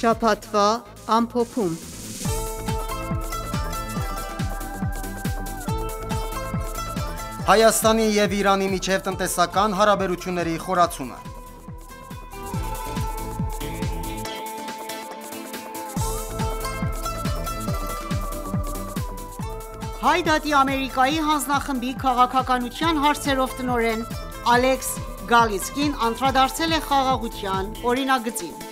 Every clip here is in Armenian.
Շաբաթվա ամփոփում։ Հայաստանի և Իրանի միջև տնտեսական հարաբերությունների խորացումը։ Հայ դատի Ամերիկայի հանձնախմբի քաղաքականության հարցերով տնօրեն Ալեքս Գալիսկին անդրադարձել է խաղաղության օրինագծին։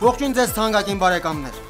Ողջույն ձեզ թանկագին բարեկամներ։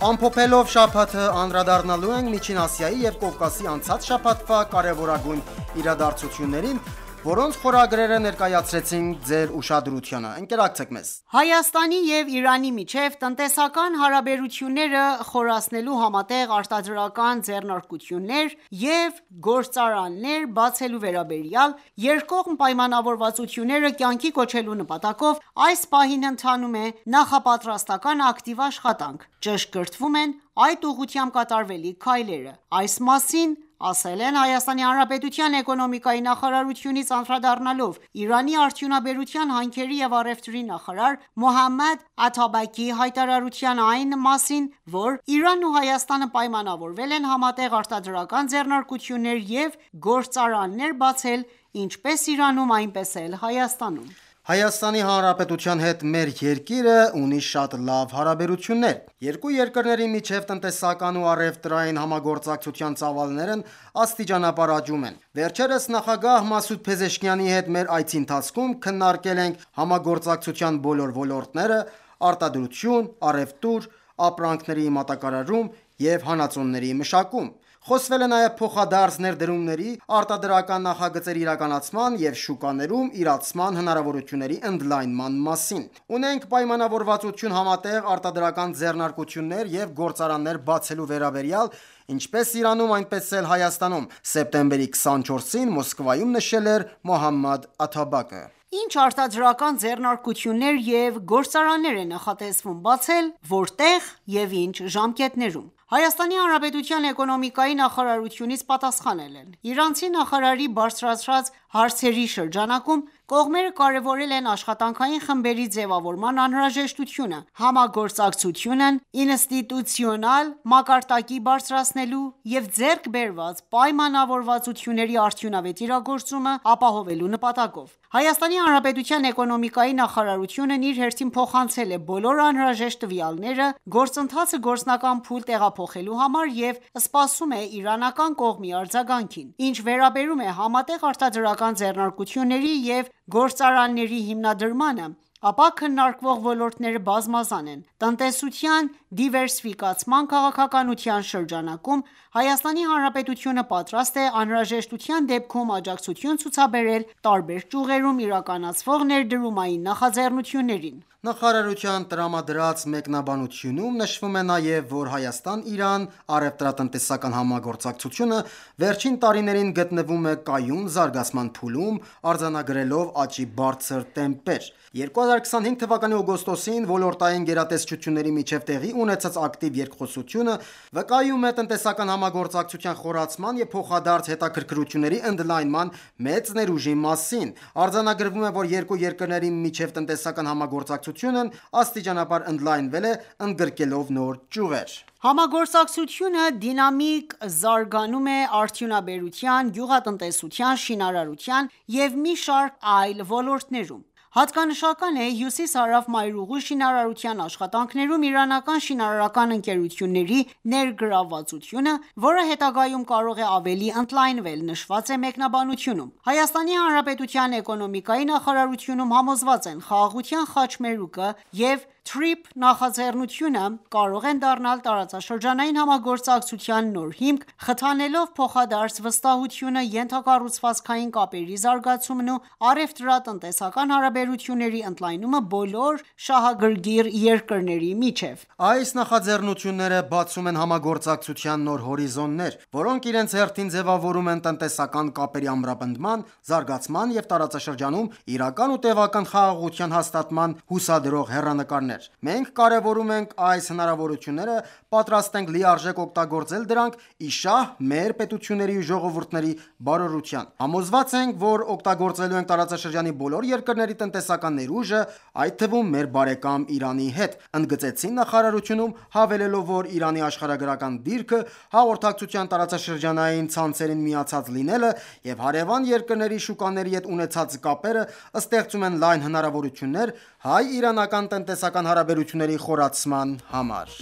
Ամփոփելով շաբաթը անդրադառնալու ենք Միջին Ասիայի և Կովկասի անցած շաբաթվա կարևորագույն իրադարձություններին, որոնց խորագրերը ներկայացրեցինք ձեր ուշադրությանը։ Ընկերակցեք մեզ։ Հայաստանի և Իրանի միջև տնտեսական հարաբերությունները խորացնելու համատեղ արտադրական ձեռնարկություններ և գործարաններ բացելու վերաբերյալ երկկողմ պայմանավորվածությունները կյանքի կոչելու նպատակով այս պահին ընթանում է նախապատրաստական ակտիվ աշխատանք։ Ճշգրտվում են այդ ուղղությամբ կատարվելիք քայլերը։ Այս մասին ասել են ՀՀ էկոնոմիկայի նախարարությունից անդրադառնալով Իրանի արդյունաբերության, հանքերի և առևտրի նախարար Մոհամմադ Աթաբակի հայտարարության այն մասին, որ Իրանն ու Հայաստանը պայմանավորվել են համատեղ արտադրական ձեռնարկություններ և գործարաններ բացել ինչպես Իրանում, այնպես էլ Հայաստանում։ Հայաստանի Հանրապետության հետ մեր երկիրը ունի շատ լավ հարաբերություններ։ Երկու երկրների միջև տնտեսական ու առևտրային համագործակցության ծավալներն աստիճանաբար աճում են։ Վերջերս նախագահ Մասուդ Փեզեշքիանի հետ մեր այցի ընթացքում քննարկել ենք համագործակցության բոլոր ոլորտները՝ արտադրություն, առևտուր, ապրանքների մատակարարում և հանածոների մշակում։ Խոսվել է նաև փոխադարձ ներդրումների, արտադրական նախագծերի իրականացման և շուկաներում իրացման հնարավորությունների ընդլայնման մասին։ Ունենք պայմանավորվածություն համատեղ արտադրական ձեռնարկություններ և գործարաններ բացելու վերաբերյալ ինչպես Իրանում, այնպես էլ Հայաստանում, սեպտեմբերի 24-ին Մոսկվայում նշել էր Մոհամմադ Աթաբակը։ Ինչ արտադրական ձեռնարկություններ և գործարաններ է նախատեսվում բացել, որտեղ և ինչ ժամկետներում։ ՀՀ էկոնոմիկայի նախարարությունից պատասխանել են։ Իրանցի նախարարի բարձրացրած հարցերի շրջանակում կողմերը կարևորել են աշխատանքային խմբերի ձևավորման անհրաժեշտությունը, համագործակցությունն ինստիտուցիոնալ մակարդակի բարձրացնելու և ձեռք բերված պայմանավորվածությունների արդյունավետ իրագործումը ապահովելու նպատակով։ ՀՀ էկոնոմիկայի նախարարությունն իր հերթին փոխանցել է բոլոր անհրաժեշտ տվյալները գործընթացը գործնական փուլ տեղափոխելու համար և սպասում է իրանական կողմի արձագանքին։ Ինչ վերաբերում է համատեղ արտադրական ձեռնարկությունների և գործարանների հիմնադրմանը, ապա քննարկվող ոլորտները բազմազան են։ Տնտեսության դիվերսիֆիկացման քաղաքականության շրջանակում ՀՀ-ն պատրաստ է անհրաժեշտության դեպքում աջակցություն ցուցաբերել տարբեր ճյուղերում իրականացվող ներդրումային նախաձեռնություններին։ Նախարարության տրամադրած մեկնաբանությունում նշվում է նաև, որ Հայաստան-Իրան առևտրատնտեսական համագործակցությունը վերջին տարիներին գտնվում է կայուն զարգացման փուլում, արձանագրելով աճի բարձր տեմպեր։ 2025 թվականի օգոստոսին ոլորտային գերատեսչությունների միջև տեղի ունեցած ակտիվ երկխոսությունը վկայում է տնտեսական համագործակցության խորացման և փոխադարձ հետաքրքրությունների ընդլայնման մեծ ներուժի մասին։ Արձանագրվում է, որ երկու երկրների միջև տնտեսական համագործակցությունն աստիճանաբար ընդլայնվել է, ընդգրկելով նոր ճյուղեր։ Համագործակցությունը դինամիկ զարգանում է արդյունաբերության, գյուղատնտեսության, շինարարության և մի շարք այլ ոլորտներում։ Հատկանշական է հյուսիս-հարավ մայրուղու շինարարության աշխատանքներում իրանական շինարարական ընկերությունների ներգրավվածությունը, որը հետագայում կարող է ավելի ընդլայնվել, նշված է մեկնաբանությունում։ ՀՀ էկոնոմիկայի նախարարությունում համոզված են՝ խաղաղության խաչմերուկը և TRIP նախաձեռնությունը կարող են դառնալ տարածաշրջանային համագործակցության նոր հիմք՝ խթանելով փոխադարձ վստահությունը, ենթակառուցվածքային կապերի զարգացումն ու առևտրատնտեսական հարաբերությունների ընդլայնումը բոլոր շահագրգիռ երկրների միջև։ Այս նախաձեռնությունները բացում են համագործակցության նոր հորիզոններ, որոնք իրենց հերթին ձևավորում են տնտեսական կապերի ամրապնդման, զարգացման և տարածաշրջանում իրական ու տևական խաղաղության հաստատման հուսադրող հեռանկարներ։ հնարավորություններ։ Մենք կարևորում ենք այս հնարավորությունները, պատրաստ ենք լիարժեք օգտագործել դրանք ի շահ մեր պետությունների ու ժողովուրդների բարօրության։ Համոզված ենք, որ օգտագործելու ենք տարածաշրջանի բոլոր երկրների տնտեսական ներուժը, այդ թվում մեր բարեկամ Իրանի հետ, ընդգծեցին նախարարությունում, հավելելով, որ Իրանի աշխարհագրական դիրքը, հաղորդակցության տարածաշրջանային ցանցերին միացած լինելը եւ հարևան երկրների շուկաների հետ ունեցած կապերը ստեղծում են լայն հնարավորություններ հայ-իրանական տնտեսական հարաբերությունների խորացման համար։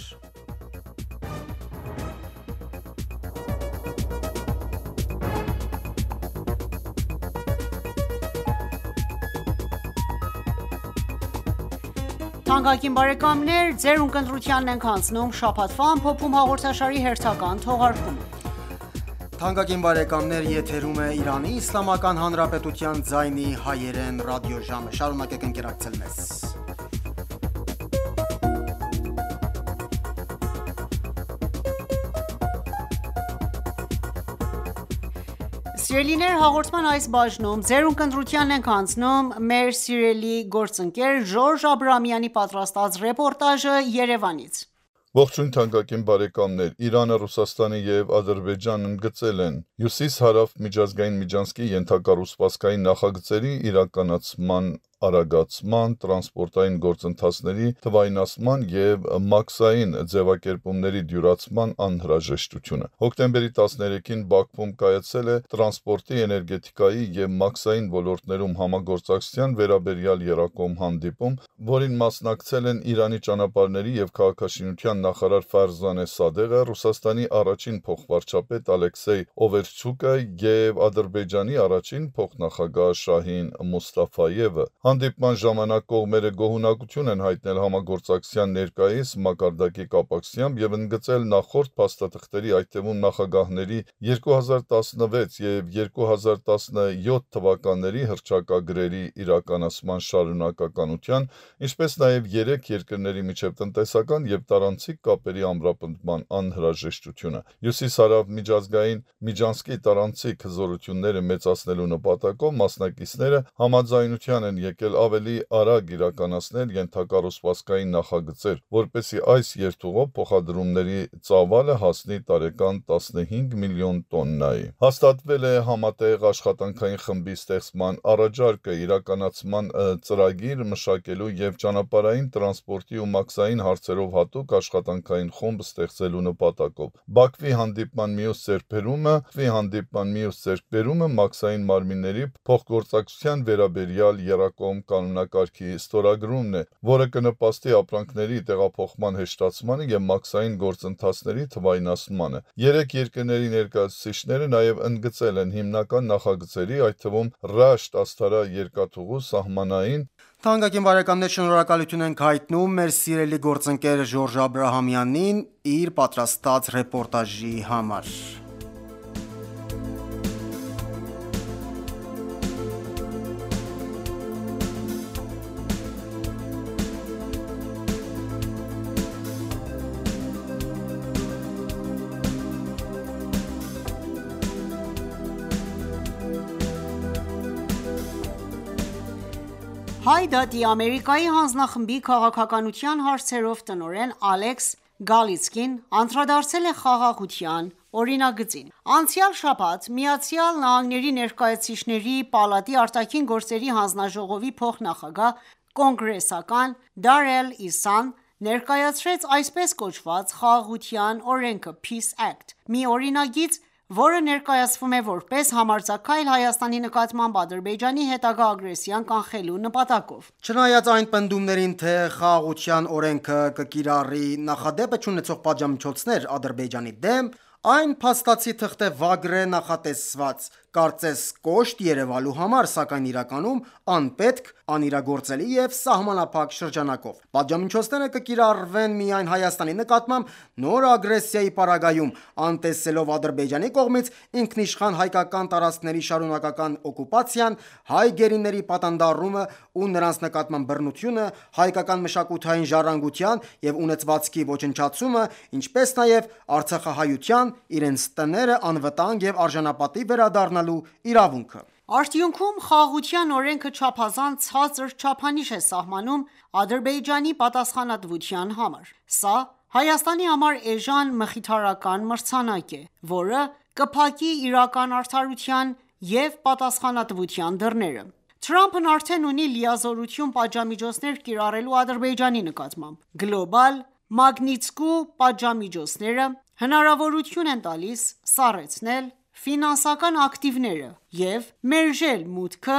Թանկագին բարեկամներ, ձեր ունկնդրությանն ենք հանձնում շաբաթվա ամփոփում հաղորդաշարի հերթական թողարկումը։ Թանկագին բարեկամներ, եթերում է Իրանի Իսլամական Հանրապետության ձայնի հայերեն ռադիոժամը։ Շարունակեք ընկերակցել մեզ։ Սիրելիներ, հաղորդման այս բաժնում ձեր ունկնդրությանն ենք հանձնում մեր սիրելի գործընկեր Ժորժ Աբրահամյանի պատրաստած ռեպորտաժը Երևանից։ Ողջույն թանկագին բարեկամներ, Իրանը, Ռուսաստանը եւ Ադրբեջանն ընդգծել են Հյուսիս-Հարավ միջազգային միջանցքի ենթակառուցվածքային նախագծերի իրականացման արագացման, տրանսպորտային գործընթացների թվայնացման եւ մաքսային ձևակերպումների դյուրացման անհրաժեշտությունը։ Հոկտեմբերի 13-ին Բաքվում կայացել է տրանսպորտի, էներգետիկայի եւ մաքսային ոլորտներում համագործակցության վերաբերյալ եռակողմ հանդիպում, որին մասնակցել են Իրանի ճանապարհների եւ քաղաքաշինության նախարար Ֆարզանե Սադեղը, Ռուսաստանի առաջին փոխվարչապետ Ալեքսեյ Օվերչուկը եւ Ադրբեջանի առաջին փոխնախագահ Շահին Մուստաֆայևը։ Հանդիպման ժամանակ կողմերը գոհունակություն են հայտնել համագործակցության ներկայիս մակարդակի կապակցությամբ եւ ընդգծել նախորդ փաստաթղթերի, այդ թվում նախագահների 2016 եւ 2017 թվականների հռչակագրերի իրականացման շարունակականության, ինչպես նաեւ երեք երկրների միջև տնտեսական եւ տարանցիկ կապերի ամրապնդման անհրաժեշտությունը։ Հյուսիս-Հարավ միջազգային միջանցքի տարանցիկ հզորությունները մեծացնելու նպատակով մասնակիցները համաձայնության են եկել ավելի արագ իրականացնել ենթակառուցվածքային նախագծեր, որպեսզի այս երթուղով փոխադրումների ծավալը հասնի տարեկան 15 միլիոն տոննայի։ Հաստատվել է համատեղ աշխատանքային խմբի ստեղծման առաջարկը, իրականացման ծրագիր մշակելու եւ ճանապարհային տրանսպորտի ու մաքսային հարցերով հատուկ աշխատանքային խումբ ստեղծելու նպատակով։ Բաքվի հանդիպման մյուս ձեռքբերումը մաքսային մարմինների փոխգործակցության վերաբերյալ եռակողմ կանոնակարգի ստորագրումն է, որը կնպաստի ապրանքների տեղափոխման հեշտացմանը եւ մաքսային գործընթացների թվայնացմանը։ Երեք երկրների ներկայացուցիչները նաեւ ընդգծել են հիմնական նախագծերի, այդ թվում Ռաշտ-Աստարա երկաթուղու սահմանային։ Թանկագին բարեկամներ, շնորհակալություն ենք հայտնում մեր սիրելի գործընկեր Ժորժ Աբրահամյանին իր պատրաստած ռեպորտաժի համար։ Հայ դատի Ամերիկայի հանձնախմբի քաղաքականության հարցերով տնօրեն Ալեքս Գալիցկին անդրադարձել է խաղաղության օրինագծին։ Անցյալ շաբաթ ԱՄՆ ներկայացուցիչների պալատի արտաքին գործերի հանձնաժողովի փոխնախագահ կոնգրեսական Դարել Իսան ներկայացրեց այսպես կոչված խաղաղության օրենքը Peace Act, մի օրինագիծ, որը ներկայացվում է որպես համարձակագայլ Հայաստանի նկատմամբ Ադրբեջանի հետագա ագրեսիան կանխելու նպատակով։ Չնայած այն պնդումներին, թե խաղաղության օրենքը կկիրառի նախադեպը չունեցող պատժամիջոցներ Ադրբեջանի դեմ, այն փաստացի թղթե վագրե նախատեսված, կարծես կոշտ երևալու համար, սակայն իրականում անպետք, անիրագործելի եւ սահմանափակ շրջանակով։ Պատժամիջոցները կկիրառվեն միայն Հայաստանի նկատմամբ նոր ագրեսիայի պարագայում, անտեսելով Ադրբեջանի կողմից ինքնիշխան հայկական տարածքների շարունակական օկուպացիան, հայ գերիների պատանդառումը ու նրանց նկատմամբ բռնությունը, հայկական մշակութային ժառանգության եւ ունեցվածքի ոչնչացումը, ինչպես նաեւ արցախահայության իրենց տները անվտանգ եւ արժանապատիվ վերադառնալու իրավունքը։ Արդյունքում խաղաղության օրենքը չափազանց ցածր չափանիշ է սահմանում Ադրբեջանի պատասխանատվության համար: Սա Հայաստանի համար էժան մխիթարական մրցանակ է, որը կփակի իրական արդարության և պատասխանատվության դռները: Թրամփն արդեն ունի լիազորություն պատժամիջոցներ կիրառելու Ադրբեջանի նկատմամբ: Գլոբալ Մագնիտսկու պատժամիջոցները հնարավորություն են տալիս սառեցնել ֆինանսական ակտիվները և մերժել մուտքը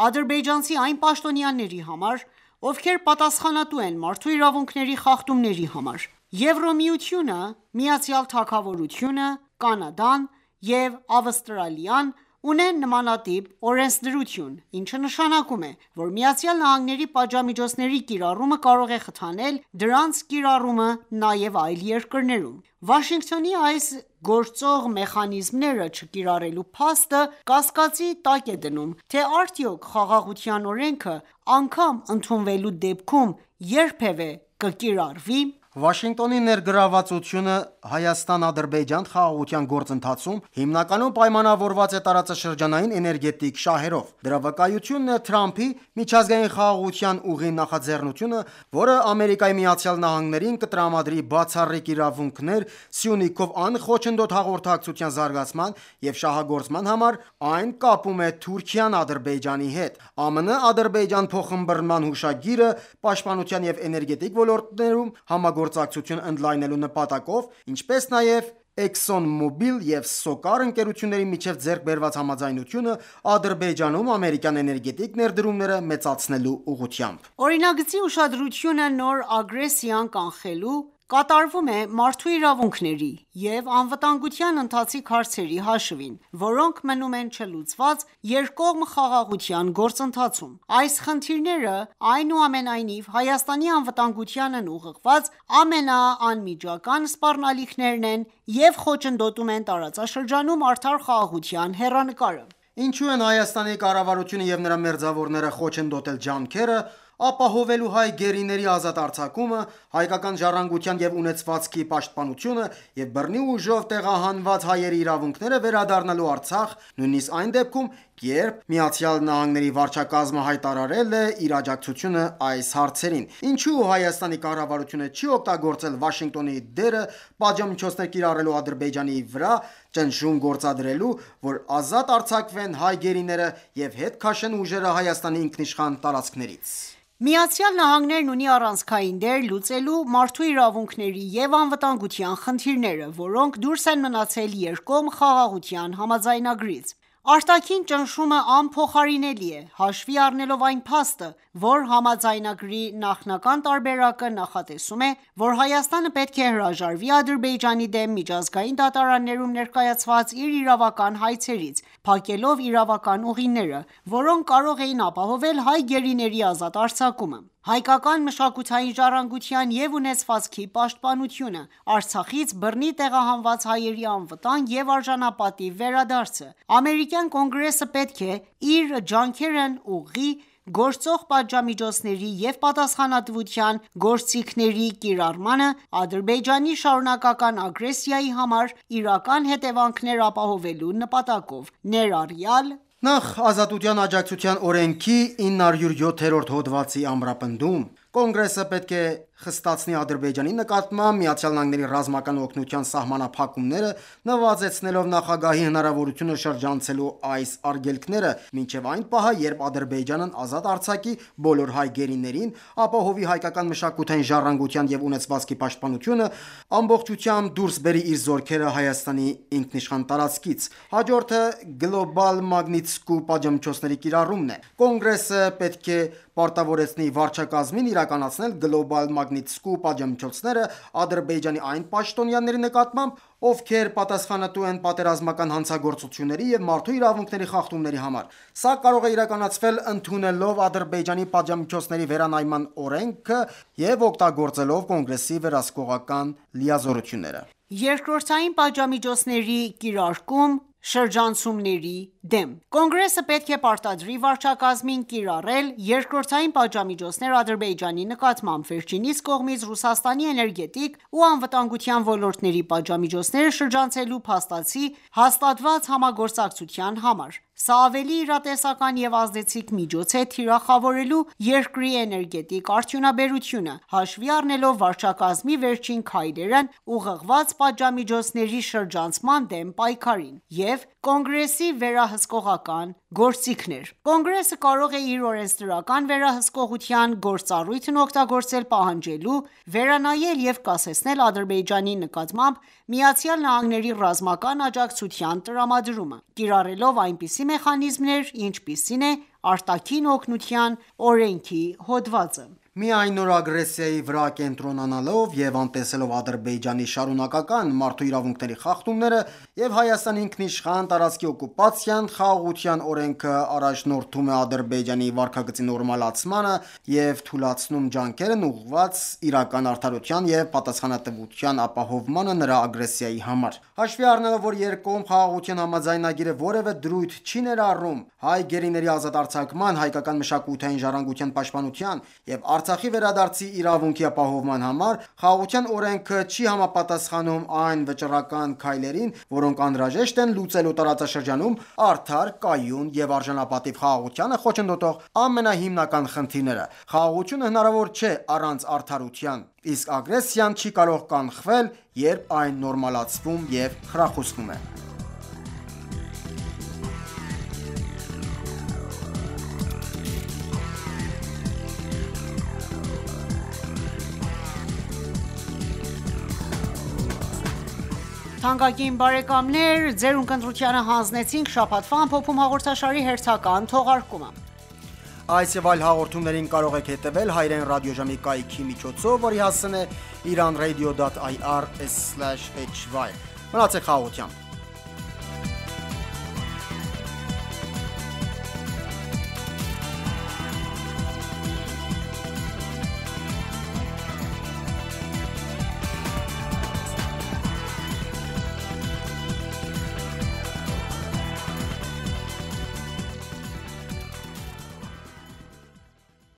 ադրբեջանցի այն պաշտոնյաների համար, ովքեր պատասխանատու են մարդու իրավունքների խախտումների համար: Եվրամիությունը, Միացյալ Թագավորությունը, Կանադան և Ավստրալիան ունեն նմանատիպ օրենսդրություն, ինչը նշանակում է, որ ԱՄՆ-ի պատժամիջոցների կիրառումը կարող է խթանել դրանց կիրառումը նաև այլ երկրներում: Վաշինգտոնի այս գործող մեխանիզմները չկիրառելու փաստը կասկածի տակ է դնում, թե արդյոք խաղաղության օրենքը անգամ ընդունվելու դեպքում երբևէ կկիրառվի: Վաշինգտոնի ներգրավվածությունը Հայաստան-Ադրբեջան խաղաղության գործընթացում հիմնականում պայմանավորված է տարածաշրջանային էներգետիկ շահերով: Դրա վկայությունն է Թրամփի միջազգային խաղաղության ուղի նախաձեռնությունը, որը ԱՄՆ-ին կտրամադրի բացառիկ իրավունքներ Սյունիքով անխոչնդոտ հաղորդակցության զարգացման և շահագործման համար, այն կապում է Թուրքիան Ադրբեջանի հետ: ԱՄՆ-Ադրբեջան փոխըմբռնման հուշագիրը պաշտպանության և էներգետիկ ոլորտներում համագործակցություն ընդլայնելու նպատակով, ինչպես նաև ExxonMobil և SOCAR ընկերությունների միջև ձեռք բերված համաձայնությունը Ադրբեջանում ամերիկյան էներգետիկ ներդրումները մեծացնելու ուղղությամբ: Օրինագծի ուշադրությունը նոր ագրեսիան կանխելու, կատարվում է մարդու իրավունքների և անվտանգության ընթացիկ հարցերի հաշվին, որոնք մնում են չլուծված երկկողմ խաղաղության գործընթացում: Այս խնդիրները, այնուամենայնիվ, Հայաստանի անվտանգությանն ուղղված ամենաանմիջական սպառնալիքներն են և խոչընդոտում են տարածաշրջանում արդար խաղաղության հեռանկարը: Ինչու են Հայաստանի կառավարությունը և նրա մերձավորները խոչընդոտել ջանքերը ապահովելու հայ գերիների ազատ արձակումը, հայկական ժառանգության և ունեցվածքի պաշտպանությունը և բռնի ուժով տեղահանված հայերի իրավունքները վերադառնալու Արցախ, նույնիսկ այն դեպքում, երբ ԱՄՆ վարչակազմը հայտարարել է իր աջակցությունը այս հարցերին: Ինչու Հայաստանի կառավարությունը չի օգտագործել Վաշինգտոնի դերը պատժամիջոցներ կիրառելու Ադրբեջանի վրա, ճնշում գործադրելու, որ ազատ արձակվեն հայ գերիները և հետ քաշեն ուժերը Հայաստանի ինքնիշխան տարածքներից: ԱՄՆ-ն ունի առանցքային դեր լուծելու մարդու իրավունքների և անվտանգության խնդիրները, որոնք դուրս են մնացել երկկողմ խաղաղության համաձայնագրից: Արտաքին ճնշումը անփոխարինելի է, հաշվի առնելով այն փաստը, որ համաձայնագրի նախնական տարբերակը նախատեսում է, որ Հայաստանը պետք է հրաժարվի Ադրբեջանի դեմ միջազգային դատարաններում ներկայացված իր իրավական հայցերից, փակելով իրավական ուղիները, որոնք կարող էին ապահովել հայ գերիների ազատ արձակումը, հայկական մշակութային ժառանգության և ունեցվածքի պաշտպանությունը, Արցախից բռնի տեղահանված հայերի անվտանգ և արժանապատիվ վերադարձը: Ամերիկյան կոնգրեսը պետք է իր ջանքերն ուղղի գործող պատժամիջոցների և պատասխանատվության գործիքների կիրառմանը Ադրբեջանի շարունակական ագրեսիայի համար իրական հետևանքներ ապահովելու նպատակով, ներառյալ Նախ Ազատության աջակցության օրենքի 907-րդ հոդվածի ամրապնդում: Կոնգրեսը պետք է խստացնի Ադրբեջանի նկատմամբ ԱՄՆ ռազմական օգնության սահմանափակումները, նվազեցնելով նախագահի հնարավորությունը շրջանցելու այս արգելքները մինչև այն պահը, երբ Ադրբեջանն ազատ արձակի բոլոր հայ գերիներին, ապահովի հայկական մշակութային ժառանգության և ունեցվածքի պաշտպանությունը, ամբողջությամբ դուրս բերի իր զորքերը Հայաստանի ինքնիշխան տարածքից: Հաջորդը Գլոբալ Մագնիտսկու պատժամիջոցների կիրառումն է: Կոնգրեսը պետք է պարտավորեցնի վարչակազմին իրականացնել Գլոբալ Մագնիտսկու պատժամիջոցները Ադրբեջանի այն պաշտոնյաների նկատմամբ, ովքեր պատասխանատու են պատերազմական հանցագործությունների և մարդու իրավունքների խախտումների համար: Սա կարող է իրականացվել ընդունելով Ադրբեջանի պատժամիջոցների վերանայման օրենքը և օգտագործելով Կոնգրեսի վերահսկողական լիազորությունները: Երկրորդային պատժամիջոցների կիրարկում շրջանցումների դեմ Կոնգրեսը պետք է պարտադրի վարչակազմին կիրառել երկրորդային պատժամիջոցներ Ադրբեջանի նկատմամբ, վերջինիս կողմից Ռուսաստանի էներգետիկ ու անվտանգության ոլորտների պատժամիջոցները շրջանցելու փաստացի հաստատված համագործակցության համար: Սա ավելի իրատեսական և ազդեցիկ միջոց է թիրախավորելու երկրի էներգետիկ արդյունաբերությունը, հաշվի առնելով վարչակազմի վերջին քայլերն ուղղված պատժամիջոցների շրջանցման դեմ պայքարին և Կոնգրեսի վերահսկողական գործիքներ: Կոնգրեսը կարող է իր օրենսդրական վերահսկողության գործառույթն օգտագործել պահանջելու վերանայել և կասեցնել Ադրբեջանի նկատմամբ ԱՄՆ-ի ռազմական աջակցության տրամադրումը, կիրառելով այնպիսի մեխանիզմներ, ինչպիսին է արտաքին օգնության օրենքի հոդվածը: Միայն նոր ագրեսիայի վրա կենտրոնանալով և անտեսելով Ադրբեջանի շարունակական մարդու իրավունքների խախտումները և Հայաստանի ինքնիշխան տարածքի օկուպացիան, Խաղաղության օրենքը առաջնորդում է Ադրբեջանի վարքագծի նորմալացմանը և թուլացնում ջանքերն ուղղված իրական արդարության և պատասխանատվության ապահովմանը նրա ագրեսիայի համար: Հաշվի առնելով, որ երկկողմ խաղաղության համաձայնագիրը որևէ դրույթ չի ներառում հայ գերիների ազատ արձակման, հայկական մշակութային ժառանգության պաշտպանության և Արցախի վերադարձի իրավունքի ապահովման համար, Խաղաղության օրենքը չի համապատասխանում այն վճռական քայլերին, որոնք անհրաժեշտ են լուծելու տարածաշրջանում արդար, կայուն և արժանապատիվ խաղաղությանը խոչընդոտող ամենահիմնական խնդիրները: Խաղաղությունը հնարավոր չէ առանց արդարության, իսկ ագրեսիան չի կարող կանխվել, երբ այն նորմալացվում և խրախուսվում է: Թանկագին բարեկամներ, ձեր ընկերությանը հանձնեցինք շաբաթվա ամփոփում հաղորդաշարի հերթական թողարկումը: Այս և այլ հաղորդումներին կարող եք հետևել հայրեն ռադիոժամի կայքի միջոցով, որի հասցեն է iranradio.ir/hy: Մնացեք խաղաղությամբ: